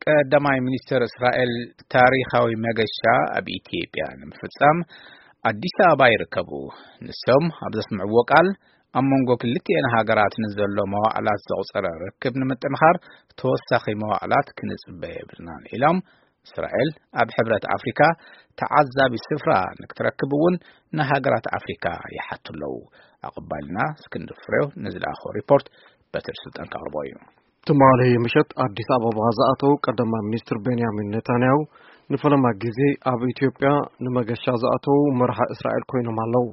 ቀዳማይ ሚኒስትር እስራኤል ታሪኻዊ መገሻ ኣብ ኢትዮጵያ ንምፍጻም ኣዲስ ኣበባ ይርከቡ። ንሶም ኣብ ዘስምዕዎ ቃል፣ ኣብ መንጎ ክልቲኤን ሃገራት ንዘሎ መዋዕላት ዘቑጸረ ርክብ ንምጥንኻር ተወሳኺ መዋዕላት ክንጽበ የብልናን ኢሎም። እስራኤል ኣብ ሕብረት ኣፍሪካ ተዓዛቢ ስፍራ ንክትረክብ እውን ንሃገራት ኣፍሪካ ይሓቱ ኣለዉ። ኣቐባልና እስክንድር ፍሬው ንዝለኣኾ ሪፖርት በትር ስልጣን ከቕርቦ እዩ። ትማሊ ምሸት ኣዲስ ኣበባ ዝኣተው ቀዳማይ ሚኒስትር ቤንያሚን ኔታንያሁ ንፈለማ ግዜ ኣብ ኢትዮጵያ ንመገሻ ዝኣተው መራሒ እስራኤል ኮይኖም ኣለዉ።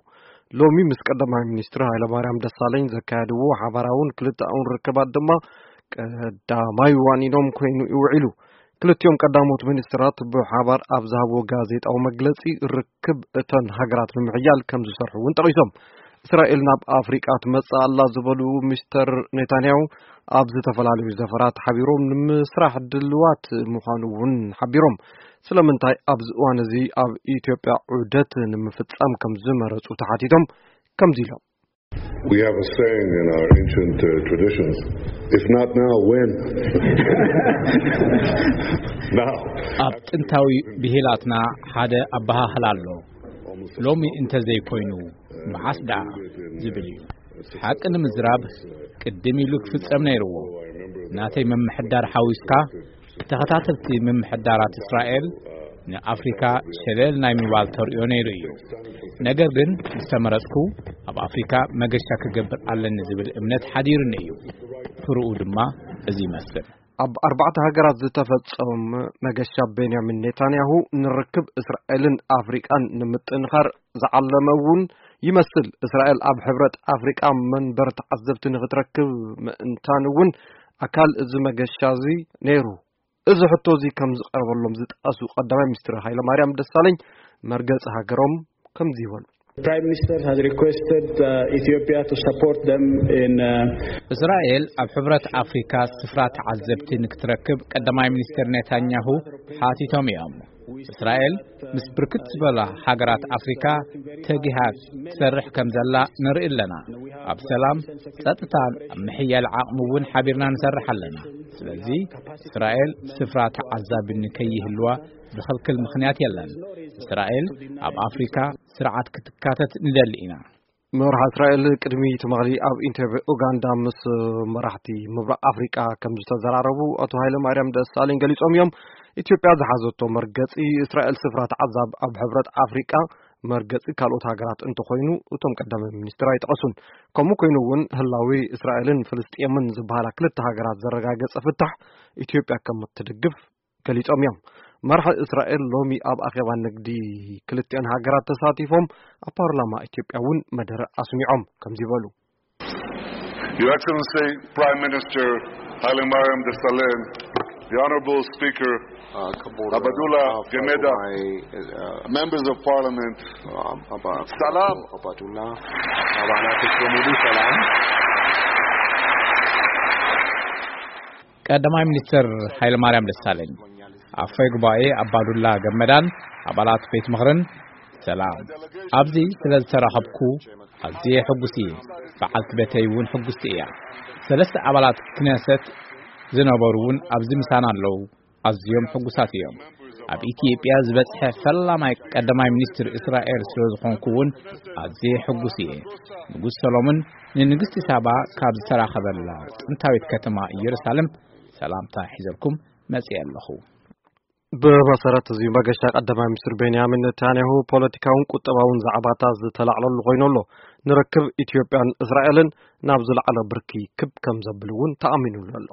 ሎሚ ምስ ቀዳማይ ሚኒስትር ሃይለማርያም ደሳለኝ ዘካየድዎ ሓባራውን ክልተኣውን ርክባት ድማ ቀዳማይ ዋኒኖም ኮይኑ ይውዒሉ። ክልቲኦም ቀዳሞት ሚኒስትራት ብሓባር ኣብ ዝሃብዎ ጋዜጣዊ መግለጺ፣ ርክብ እተን ሃገራት ንምሕያል ከም ዝሰርሑ እውን ጠቒሶም። እስራኤል ናብ ኣፍሪቃ ትመጽእ ኣላ ዝበሉ ሚስተር ኔታንያሁ፣ ኣብ ዝተፈላለዩ ዘፈራት ሓቢሮም ንምስራሕ ድልዋት ምዃኑ እውን ሓቢሮም። ስለምንታይ ኣብዚ እዋን እዚ ኣብ ኢትዮጵያ ዑደት ንምፍጻም ከም ዝመረጹ ተሓቲቶም ከምዚ ኢሎም። We have a saying in our ancient uh, traditions, if not now, when? Now. ኣብ ጥንታዊ ብሂላትና ሓደ ኣበሃህላ ኣሎ፣ ሎሚ እንተዘይኮይኑ መዓስ ደኣ ዝብል እዩ። ሓቂ ንምዝራብ፣ ቅድም ኢሉ ክፍጸም ነይርዎ። ናተይ ምምሕዳር ሓዊስካ፣ ተኸታተልቲ ምምሕዳራት እስራኤል ንኣፍሪካ ሸለል ናይ ምባል ተርእዮ ነይሩ እዩ። ነገር ግን ምስ ተመረጽኩ፣ ኣብ ኣፍሪካ መገሻ ክገብር ኣለኒ ዝብል እምነት ሓዲሩኒ እዩ። ፍርኡ ድማ እዚ ይመስል። ኣብ ኣርባዕተ ሃገራት ዝተፈጸመ መገሻ ቤንያሚን ኔታንያሁ ንርክብ እስራኤልን ኣፍሪቃን ንምጥንኻር ዝዓለመ እውን ይመስል። እስራኤል ኣብ ሕብረት ኣፍሪቃ መንበር ተዓዘብቲ ንክትረክብ ምእንታን እውን ኣካል እዚ መገሻ እዚ ነይሩ። እዚ ሕቶ እዚ ከም ዝቐረበሎም ዝጠቐሱ ቀዳማይ ሚኒስትር ሃይለማርያም ደሳለኝ፣ መርገጺ ሃገሮም ከምዚ ይበሉ። Prime Minister has requested uh, Ethiopia to support them in uh, እስራኤል ኣብ ሕብረት ኣፍሪካ ስፍራ ተዓዘብቲ ንክትረክብ ቀዳማይ ሚኒስትር ኔታንያሁ ሓቲቶም እዮም። እስራኤል ምስ ብርክት ዝበላ ሃገራት ኣፍሪካ ተጊሃ ትሰርሕ ከም ዘላ ንርኢ ኣለና። ኣብ ሰላም፣ ጸጥታን ኣብ ምሕያል ዓቕሚ እውን ሓቢርና ንሰርሕ ኣለና። ስለዚ እስራኤል ስፍራ ተዓዛቢ ንከይህልዋ ዝኸልክል ምኽንያት የለን። እስራኤል ኣብ ኣፍሪካ ስርዓት ክትካተት ንደሊ ኢና። መራሒ እስራኤል ቅድሚ ትማሊ ኣብ ኢንተርቪ ኡጋንዳ ምስ መራሕቲ ምብራቕ ኣፍሪቃ ከም ዝተዘራረቡ ኣቶ ሃይለ ማርያም ደሳለኝ ገሊጾም እዮም። ኢትዮጵያ ዝሓዘቶ መርገጺ፣ እስራኤል ስፍራ ተዓዛብ ኣብ ሕብረት ኣፍሪቃ መርገጺ ካልኦት ሃገራት እንተኾይኑ፣ እቶም ቀዳማይ ሚኒስትር ኣይጠቐሱን። ከምኡ ኮይኑ እውን ህላዊ እስራኤልን ፍልስጤምን ዝበሃላ ክልተ ሃገራት ዘረጋገጸ ፍታሕ ኢትዮጵያ ከም እትድግፍ ገሊጾም እዮም። መራሒ እስራኤል ሎሚ ኣብ ኣኼባ ንግዲ ክልቲኣን ሃገራት ተሳቲፎም፣ ኣብ ፓርላማ ኢትዮጵያ እውን መደረ ኣስሚዖም ከምዚ በሉ። Your Excellency, Prime Minister Hailemariam Desalegn, the Honorable Speaker Abdullah Gemeda, members of Parliament, ሰላም። ቀዳማይ ሚኒስትር ሃይለማርያም ደሳለኝ፣ ኣፈ ጉባኤ ኣባዱላ ገመዳን ኣባላት ቤት ምኽርን ሰላም። ኣብዚ ስለ ዝተራኸብኩ ኣዝየ ሕጉስ እየ። በዓልቲ ቤተይ እውን ሕጉስቲ እያ። ሰለስተ ኣባላት ክነሰት ዝነበሩ እውን ኣብዚ ምሳና ኣለዉ። ኣዝዮም ሕጉሳት እዮም። ኣብ ኢትዮጵያ ዝበጽሐ ፈላማይ ቀዳማይ ሚኒስትር እስራኤል ስለ ዝኾንኩ እውን ኣዝየ ሕጉስ እየ። ንጉስ ሰሎሞን ንንግስቲ ሳባ ካብ ዝተራኸበላ ጥንታዊት ከተማ ኢየሩሳሌም ሰላምታ ሒዘልኩም መጽየ ኣለኹ። ብመሰረት እዚ መገሻ ቀዳማይ ሚኒስትር ቤንያሚን ኔታንያሁ ፖለቲካውን ቁጠባውን ዛዕባታት ዝተላዕለሉ ኮይኑ ኣሎ። ንርክብ ኢትዮጵያን እስራኤልን ናብ ዝለዓለ ብርኪ ክብ ከም ዘብል እውን ተኣሚኑሉ ኣሎ።